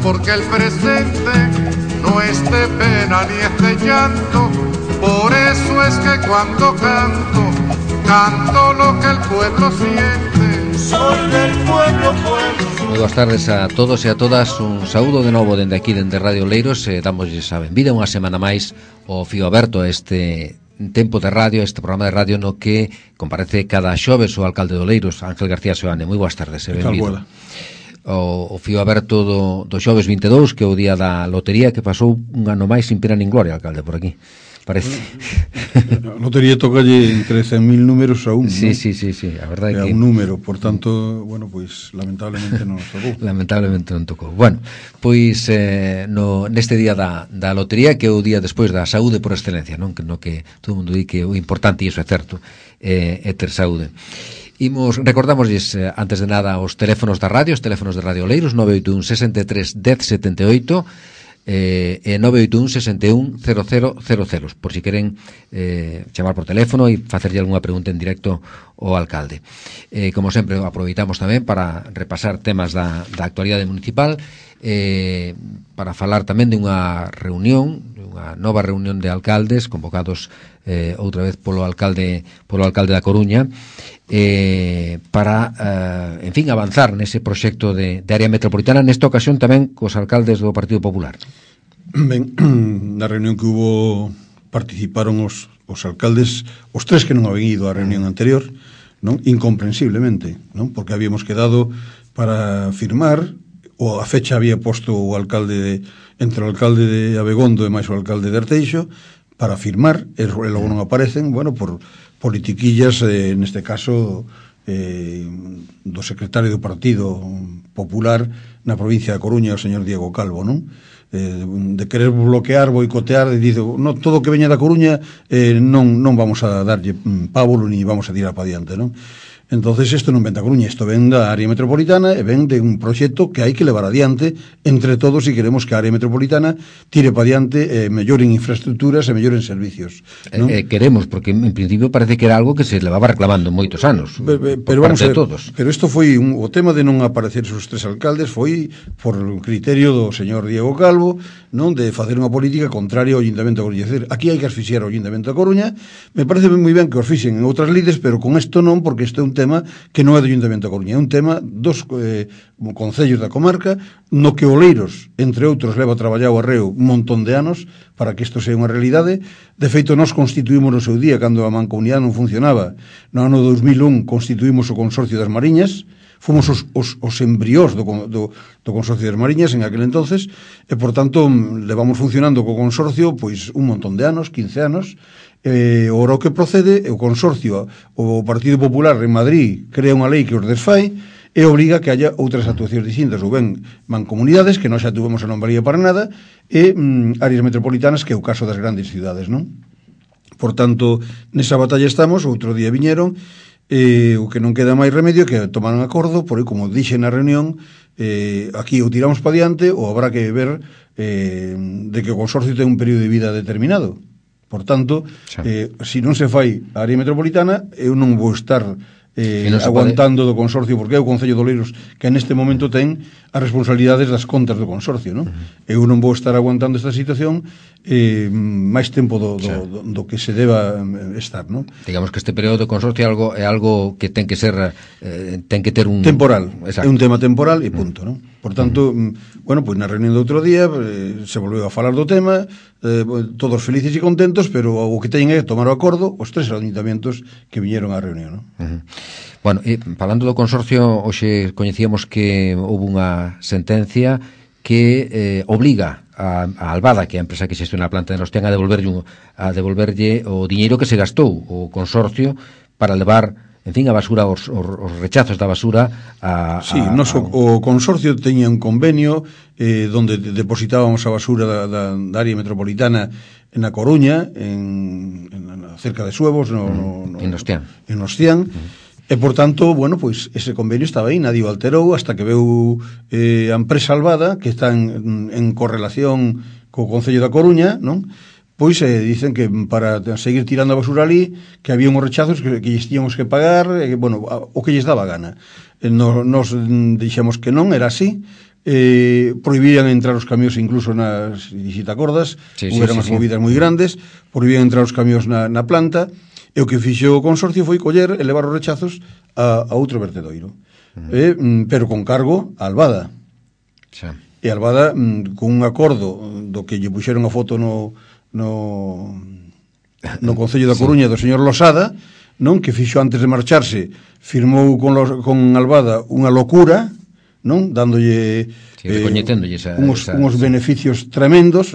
porque el presente no es de pena ni es de llanto. Por eso es que cuando canto, canto lo que el pueblo siente. Soy del pueblo, pueblo. Moi boas tardes a todos e a todas. Un saúdo de novo dende aquí, dende Radio Oleiros, e damosles a benvida unha semana máis ao Fío Aberto, a este tempo de radio, este programa de radio no que comparece cada xoves o alcalde de Oleiros, Ángel García Seoane. Moi boas tardes e benvido. O Fío Aberto do xoves 22, que é o día da lotería, que pasou un ano máis sin pena nin gloria, alcalde, por aquí. Parece. A lotería tocalle entre 100.000 números a un, sí, ¿no? sí, a verdade é que un número, por tanto, bueno, pois lamentablemente non nos tocou. Lamentablemente non tocou. Bueno, pois neste día da lotería, que é o día despois da saúde por excelencia, non? Que no que todo o mundo di que o importante, e iso é certo, é ter saúde. Recordamosles, antes de nada, os teléfonos da radio, os teléfonos de Radio Oleiros, 981 63 10 78 e 981 61 0000, por si queren chamar por teléfono e facerlle algunha pregunta en directo ao alcalde. Como sempre, aproveitamos tamén para repasar temas da actualidade municipal, para falar tamén de unha reunión, unha nova reunión de alcaldes convocados outra vez polo alcalde da Coruña, para, en fin, avanzar nese proxecto de área metropolitana, nesta ocasión tamén cos alcaldes do Partido Popular. Ben, na reunión que hubo participaron os alcaldes, os tres que non habían ido á reunión anterior, non? Incomprensiblemente, non? Porque habíamos quedado para firmar, ou a fecha había posto o alcalde entre o alcalde de Abegondo e máis o alcalde de Arteixo para firmar, e logo non aparecen, bueno, por politiquillas, neste caso do secretario do Partido Popular na provincia da Coruña, o señor Diego Calvo, non? De querer bloquear, boicotear, e dice, no, todo o que veña da Coruña non vamos a darlle pábulo ni vamos a tirar para diante, non? Entonces isto non ven da Coruña, isto ven da área metropolitana e ven de un proxecto que hai que levar adiante entre todos se queremos que a área metropolitana tire para adiante, melloren infraestructuras e melloren servicios, non? Queremos, porque en principio parece que era algo que se levaba reclamando moitos anos, pero vamos a ver, todos. Pero isto foi o tema de non aparecer os tres alcaldes foi por criterio do señor Diego Calvo, non, de facer unha política contraria ao Ayuntamiento da Coruña. Aquí hai que asfixiar ao Ayuntamiento da Coruña. Me parece moi ben que os fixen en outras lides, pero con isto non, porque isto é un tema que non é do Ayuntamiento da Coruña, é un tema dos concellos da comarca, no que Oleiros, entre outros, leva traballado arreo un montón de anos para que isto sea unha realidade. De feito, nós constituímos no seu día, cando a mancomunidade non funcionaba, no ano 2001 constituímos o Consorcio das Mariñas, fomos os embriós do Consorcio das Mariñas en aquel entonces, e por tanto levamos funcionando co Consorcio pois un montón de anos, 15 anos. Ora o que procede, o Consorcio, o Partido Popular en Madrid crea unha lei que os desfai e obriga que haya outras actuacións distintas, ou ben mancomunidades, que nós xa tuvemos a non valía para nada, e áreas metropolitanas, que é o caso das grandes cidades, non? Por tanto, nesa batalla estamos. Outro día viñeron, o que non queda máis remedio que tomaron acordo, por aí, como dixe na reunión, aquí o tiramos para diante ou habrá que ver de que o Consorcio ten un período de vida determinado. Por tanto, se non se fai a área metropolitana, eu non vou estar aguantando do Consorcio, porque é o Concello de Oleiros que neste momento ten as responsabilidades das contas do Consorcio, non? Eu non vou estar aguantando esta situación máis tempo do que se deba estar, non? Digamos que este período do Consorcio é algo que ten que ser ten que ter un temporal. Exacto. É un tema temporal e punto, non? Por tanto, bueno, pois na reunión do outro día se volveu a falar do tema, todos felices e contentos, pero o que teñen é tomar o acordo os tres ayuntamientos que viñeron á reunión, non? Bueno, falando do Consorcio, hoxe coñecíamos que houve unha sentencia que obliga a Albada, que é a empresa que xestiona a planta de Nostián, a devolverlle o diñeiro que se gastou o Consorcio para levar, en fin, a basura, os rechazos da basura o Consorcio teña un convenio donde depositábamos a basura da área metropolitana na Coruña, cerca de Suevos, en Nostián. E, por tanto, bueno, pois ese convenio estaba aí, nadie o alterou, hasta que veu a empresa Albada, que está en correlación co Concello da Coruña, non? Pois dicen que para seguir tirando a basura ali, que había uns rechazos que lles tíamos que pagar, bueno, o que lles daba gana. Nos dixemos que non, era así, prohibían entrar os camións incluso nas, se te acordas, houveron as movidas moi grandes, prohibían entrar os camións na planta, e o que fixo o consorcio foi coller e levar os rechazos a outro vertedoiro, pero con cargo a Albada. E Albada, con un acordo do que lle puxeron a foto no Concello da Coruña do señor Losada, non, que fixo antes de marcharse, firmou con Albada unha locura, non, dándolle uns beneficios tremendos.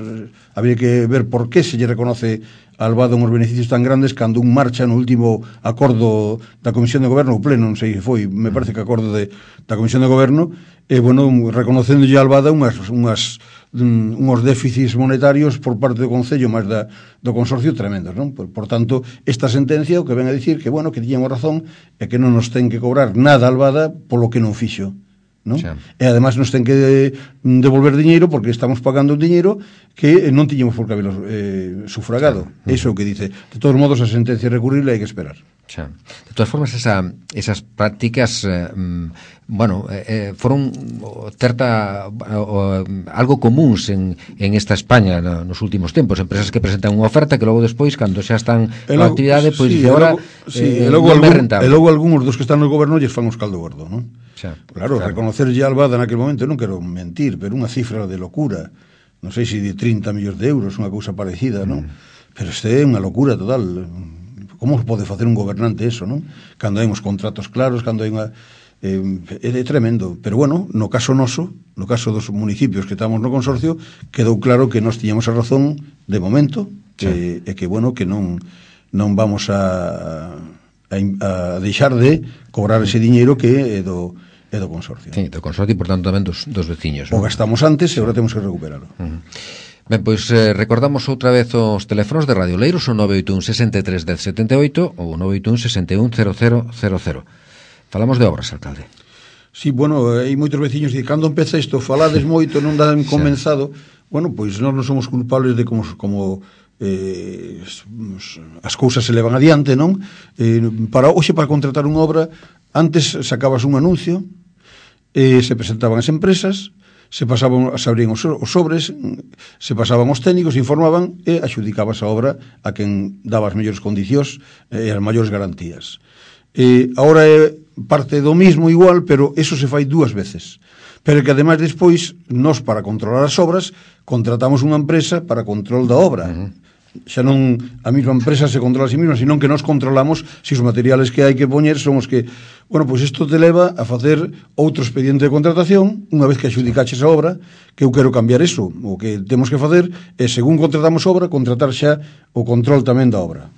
Habría que ver por que se lle reconoce a Albada uns beneficios tan grandes cando un marcha no último acordo da Comisión de Goberno, o pleno, non sei se foi, me parece que acordo da Comisión de Goberno, reconocendolle a Albada unhos déficits monetarios por parte do Concello máis do Consorcio tremendos, non? Por tanto, esta sentencia o que ven a dicir que, bueno, que tiñamos razón e que non nos ten que cobrar nada a Albada polo que non fixo, non? E además nos ten que devolver diñeiro porque estamos pagando un diñeiro que non tiñamos por que habelo sufragado. Iso é o que dice. De todos modos, a sentencia recurrible hai que esperar. De todas formas, esas prácticas foron algo comuns en esta España nos últimos tempos, empresas que presentan unha oferta que logo despois, cando xa están na actividade, pois agora non é rentable. E logo algúns dos que están no goberno lles fan os caldo gordo, non? Claro, reconocerlle a Albada naquele momento, non quero mentir, pero unha cifra de locura, non sei se de 30 millóns de euros, unha cousa parecida, non? Pero este é unha locura total. Como pode facer un gobernante eso, non? Cando hai uns contratos claros, cando hai unha... é tremendo, pero bueno, no caso noso, no caso dos municipios que estamos no consorcio, quedou claro que nós tiñamos a razón de momento, e que bueno, que non vamos a deixar de cobrar ese diñeiro que é do consorcio. Sí, do consorcio e por tanto tamén dos veciños. O gastamos antes e agora temos que recuperarlo. Ben, pois recordamos outra vez os teléfonos de Radio Leiros, o 981 63 10 78 ou 981 61 0000. Falamos de obras, alcalde. Sí, bueno, hai moitos veciños que cando empeza isto falades moito, non dan comenzado. Bueno, pois nós non somos culpables de como as cousas se levan adiante, non? Para contratar unha obra, antes sacabas un anuncio, se presentaban as empresas, se abrían os sobres, se pasaban os técnicos, informaban e axudicabas a obra a quen daba as mellores condicións e as maiores garantías. Agora é parte do mismo igual, pero eso se fai dúas veces. Pero que ademais despois, nós para controlar as obras, contratamos unha empresa para control da obra. Xa non a mesma empresa se controla a sí mesma, senón que nós controlamos se os materiales que hai que poñer son os que... Bueno, pois isto te leva a facer outro expediente de contratación unha vez que adjudicaches a obra, que eu quero cambiar eso. O que temos que facer é, según contratamos obra, contratar xa o control tamén da obra,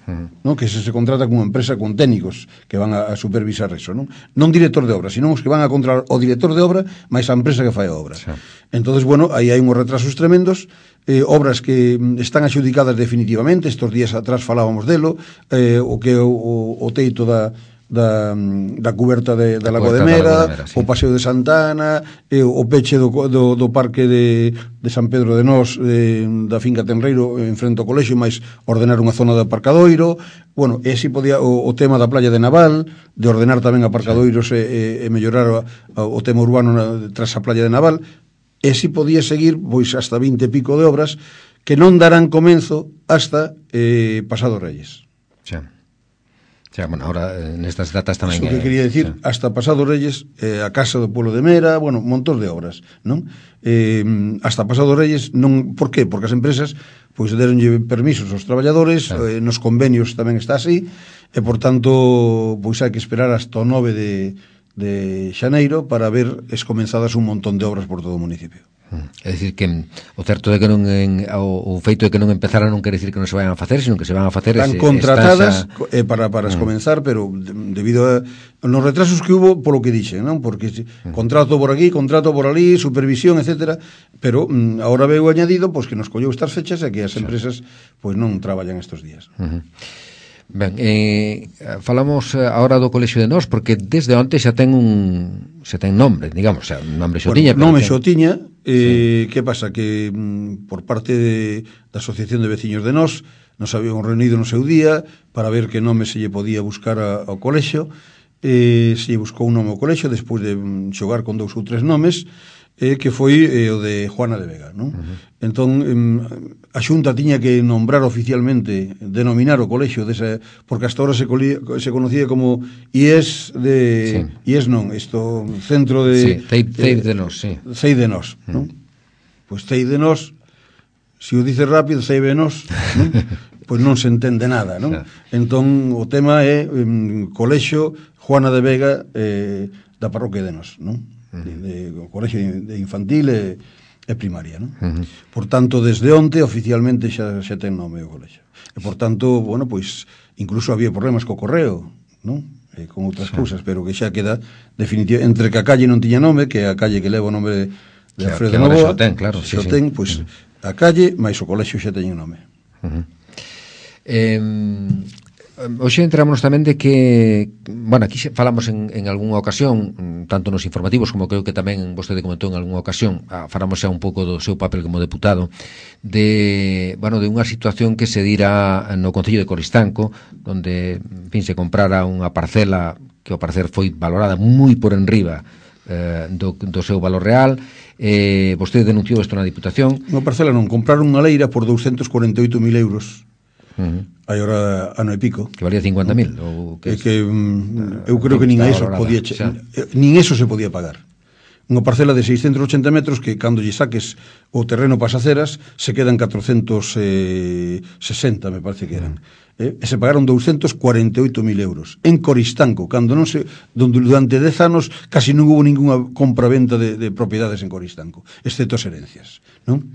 non? Que se contrata con unha empresa con técnicos que van a supervisar eso, non director de obra, senón os que van a controlar o director de obra máis a empresa que fai a obra. Entonces, bueno, aí hai uns retrasos tremendos, obras que están adjudicadas definitivamente. Estos días atrás falábamos delo, o que o teito da cuberta da Lagoa de Mera, o Paseo de Santana, o peche do parque de San Pedro de Nós, da finca Tenreiro en frente ao colexio, máis ordenar unha zona de aparcadoiro. Bueno, ese podía o tema da playa de Naval, de ordenar tamén aparcadoiros e mellorar o tema urbano tras a playa de Naval. E si podía seguir pois hasta 20 e pico de obras que non darán comenzo hasta pasado Reyes. Bueno, ahora nestas datas tamén... Iso que quería decir, hasta pasado Reyes, a Casa do Pueblo de Mera, bueno, montón de obras, non? Hasta pasado Reyes, non... Por qué? Porque as empresas pois deronlle permisos aos traballadores, nos convenios tamén está así, e por tanto, pois hai que esperar hasta o 9 de xaneiro para ver escomenzadas un montón de obras por todo o municipio. É dicir que o certo de que non o feito de que non empezaran non quere dicir que non se vayan a facer, sino que se van a facer. Están contratadas para escomenzar, pero debido a nos retrasos que hubo, polo que dixen, non? Porque contrato por aquí, contrato por ali, supervisión, etcétera, pero agora veo añadido pois que nos colleu estas fechas e que as empresas pois non traballan estes días. Ben, falamos agora do Colexio de Nós, porque desde onte xa ten nome, digamos, xa nome xo tiña. Nome xo tiña, que pasa? Que por parte da Asociación de Veciños de Nós nos habíamos reunido no seu día para ver que nome se lle podía buscar ao colexio, se lle buscou un nome ao colexio despois de xogar con 2 ou 3 nomes. que foi o de Juana de Vega, non? Entón, a Xunta tiña que nombrar oficialmente, denominar o colexio desa, porque hasta ahora se conocía como IES de... IES non, isto, Centro de... CEIP de Nós, sí. CEIP de Nós, non? Pois CEIP de Nós, se o dices rápido, CEIP de Nós, non? Pois non se entende nada, non? Entón, o tema é colexio Juana de Vega da parroquia de Nós, non? O colexio de infantil e primaria, non? Por tanto, desde onte oficialmente xa ten nome o colexio. E por tanto, bueno, pois incluso había problemas co correo, non? Con outras cousas, pero que xa queda definitivo, entre que a calle non tiña nome, que a calle que leva o nome de Alfredo Novoa, xa ten, claro, xa ten, pois a calle máis o colexio xa teñen nome. Hoxe entramos tamén de que, bueno, aquí falamos en algunha ocasión, tanto nos informativos como creo que tamén vostede comentou en algunha ocasión, falamos xa un pouco do seu papel como deputado, de unha situación que se dira no Concello de Coristanco, onde, en fin, se comprara unha parcela que ao parecer foi valorada moi por enriba do seu valor real. Vostede denunciou isto na Diputación. Unha parcela non, compraron unha leira por 248.000 euros. Hai ora ano e pico que valía 50.000 ou que eu creo que nin eso podía nin eso se podía pagar. Unha parcela de 680 metros que cando lle saques o terreno pasaceras se quedan 460, me parece que eran. E se pagaron 248.000 euros en Coristanco, cando non se, durante 10 anos casi non hubo ninguna compra-venta de propiedades en Coristanco, excepto as herencias, non?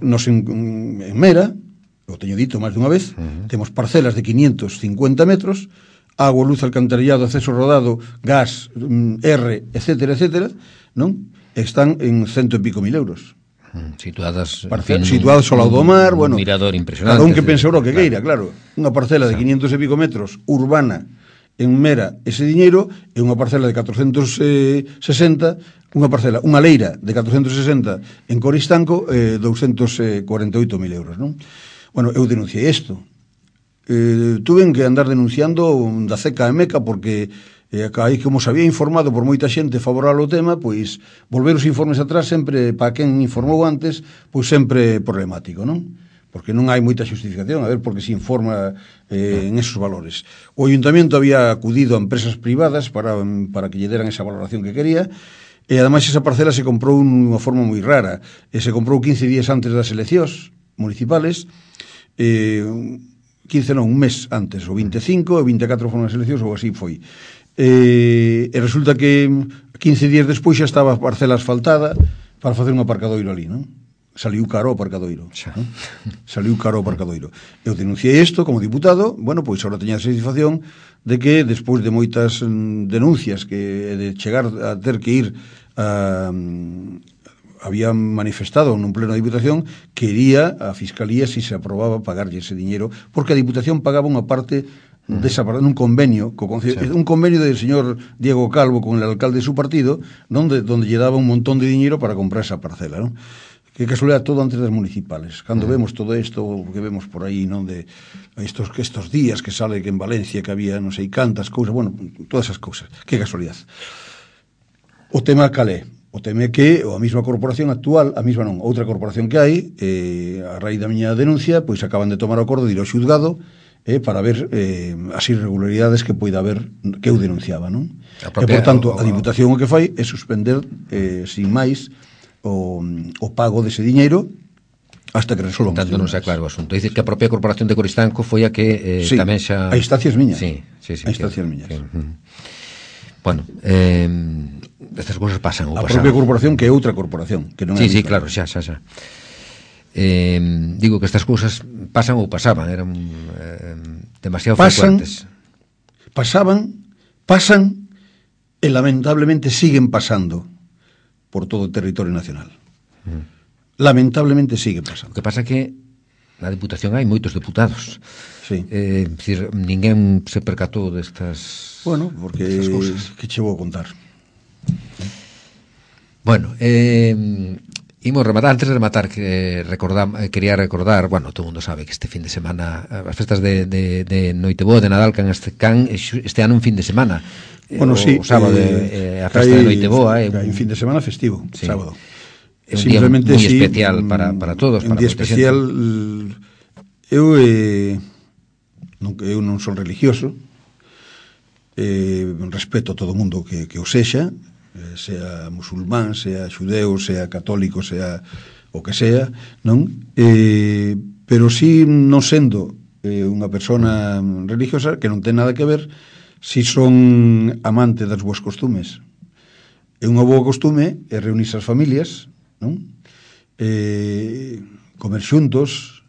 Nos en Mera, o teño dito máis dunha vez, temos parcelas de 550 metros, agua, luz, alcantarillado, acceso rodado, gas, R, etcétera, etcétera, non? Están en 100 e pico mil euros. Situadas situadas ao lado do mar, bueno, un mirador impresionante. Cada un que pense o que queira, claro. Unha parcela de 500 e pico metros urbana en Mera, ese diñeiro, é unha parcela de 460, unha leira de 460 en Coristanco, 248.000 euros, non? Bueno, eu denunciei isto. Tuven que andar denunciando da CECA e MECA porque aí, como se había informado por moita xente favorável ao tema, pois volver os informes atrás sempre, para quen informou antes, pois sempre problemático, non? Porque non hai moita justificación, a ver por que se informa en esos valores. O Ayuntamiento había acudido a empresas privadas para que lle deran esa valoración que quería, e ademais esa parcela se comprou unha forma moi rara, se comprou 15 días antes das eleccións municipales, 15 non, un mes antes, o 25 e 24 foron as eleccións, ou así foi. E resulta que 15 días despois xa estaba a parcela asfaltada para facer un aparcadoiro ali, non? Saliu caro o aparcadoiro, non? Saliu caro o aparcadoiro. Eu denunciei isto como diputado, bueno, pois agora teña a satisfacción de que despois de moitas denuncias que de chegar a ter que ir había manifestado nun pleno da Diputación que iría a Fiscalía se aprobaba pagarlle ese diñeiro, porque a Diputación pagaba unha parte desa parte, nun convenio un convenio del señor Diego Calvo con el alcalde de su partido, donde lle daba un montón de diñeiro para comprar esa parcela, non? Que casualidad, todo antes das municipales. Cando vemos todo isto que vemos por aí, non, de estos días que sale que en Valencia que había non sei cantas cousas, bueno, todas esas cousas, que casualidad. O tema calé. O tema é que a mesma corporación actual, a mesma non, outra corporación que hai, a raíz da miña denuncia, pois acaban de tomar o acordo de ir ao xuzgado para ver as irregularidades que poida haber, que eu denunciaba, non? E, por tanto, a Diputación o que fai é suspender, sin máis, o pago dese diñeiro hasta que resolvan. Tanto non se aclara o asunto. Dices que a propia Corporación de Coristanco foi a que tamén xa... a instancias miñas. Sí, a instancias miñas. Bueno, estas cousas pasan ou a propia corporación que é outra corporación que non é sí, claro, xa digo que estas cousas pasan ou pasaban, eran demasiado frecuentes. Pasan e lamentablemente siguen pasando por todo o territorio nacional. Lamentablemente sigue pasando. O que pasa é que na Diputación hai moitos deputados. Sí. Decir, ninguén se percatou destas... Bueno, porque que che vou contar. Bueno, Imos rematar, antes de rematar quería recordar, bueno, todo o mundo sabe que este fin de semana as festas de Noiteboa, de Nadal can este ano un fin de semana. Bueno, sí, o sábado a festa de Noiteboa hai un fin de semana festivo, sí. Sábado. É un día moi especial para todos, un día especial. Eu non son religioso, respeto a todo mundo que o sexa, sea musulmán, sea xudeu, sea católico, sea o que sea, non? Pero si non sendo unha persona religiosa, que non ten nada que ver, si son amante das boas costumes. É unha boa costume é reunirse as familias, non? Comer xuntos,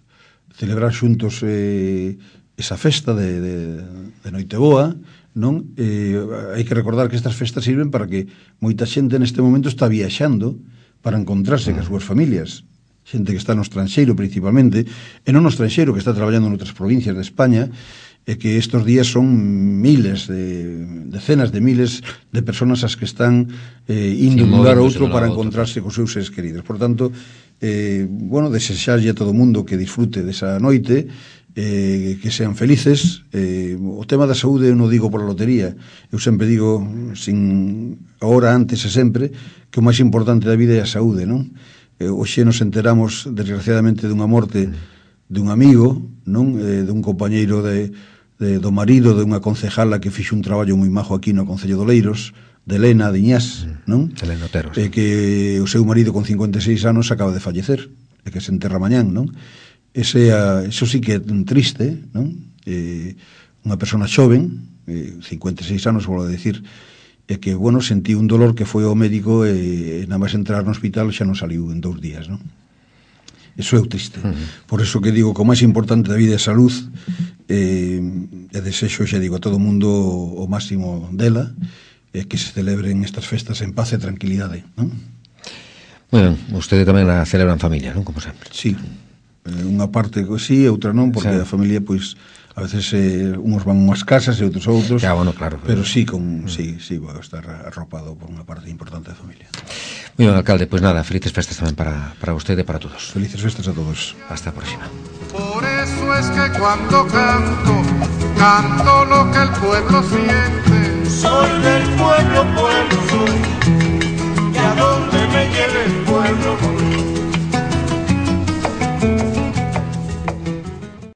celebrar xuntos esa festa de Noiteboa, non? Hai que recordar que estas festas sirven para que moita xente neste momento está viaxando para encontrarse cas súas familias, xente que está no estranxeiro principalmente, e non no estranxeiro, que está traballando noutras provincias de España, e que estes días son miles, decenas de miles de personas as que están indo dun lugar a outro para encontrarse cos seus seres queridos. Por tanto, bueno, desexarlle a todo mundo que disfrute desa noite, que sean felices. O tema da saúde eu non digo pola lotería, eu sempre digo, sin ahora, antes e sempre, que o máis importante da vida é a saúde, non? Hoxe nos enteramos desgraciadamente dunha morte dun amigo, non? Dun compañeiro do marido de unha concejala que fixo un traballo moi majo aquí no Concello de Oleiros, de Elena Diñás, non? Elena Otero, que o seu marido con 56 anos acaba de fallecer, e que se enterra mañán, non? Eso sí que é triste, non? Unha persona xoven, 56 anos, vou a decir, e que, bueno, sentí un dolor que foi ao médico e nada máis entrar no hospital xa non saliu en 2 días, non? Eso é o triste. Por eso que digo que o máis importante da vida é a salud, e desexo, xa digo, a todo mundo o máximo dela, e que se celebren estas festas en paz e tranquilidade, non? Bueno, usted tamén a celebra en familia, non? Como sempre. Sí. Unha parte sí, outra non, porque a familia, pois, a veces uns van unhas casas e outros a outros. Ya, bueno, claro. Pero sí, sí, vou estar arropado por unha parte importante da familia. Muy ben, alcalde, pois nada, felices festas tamén para usted e para todos. Felices festas a todos. Hasta a próxima. Por eso es que cuando canto lo que el pueblo siente. Soy del pueblo soy, y a donde me lleve el pueblo voy.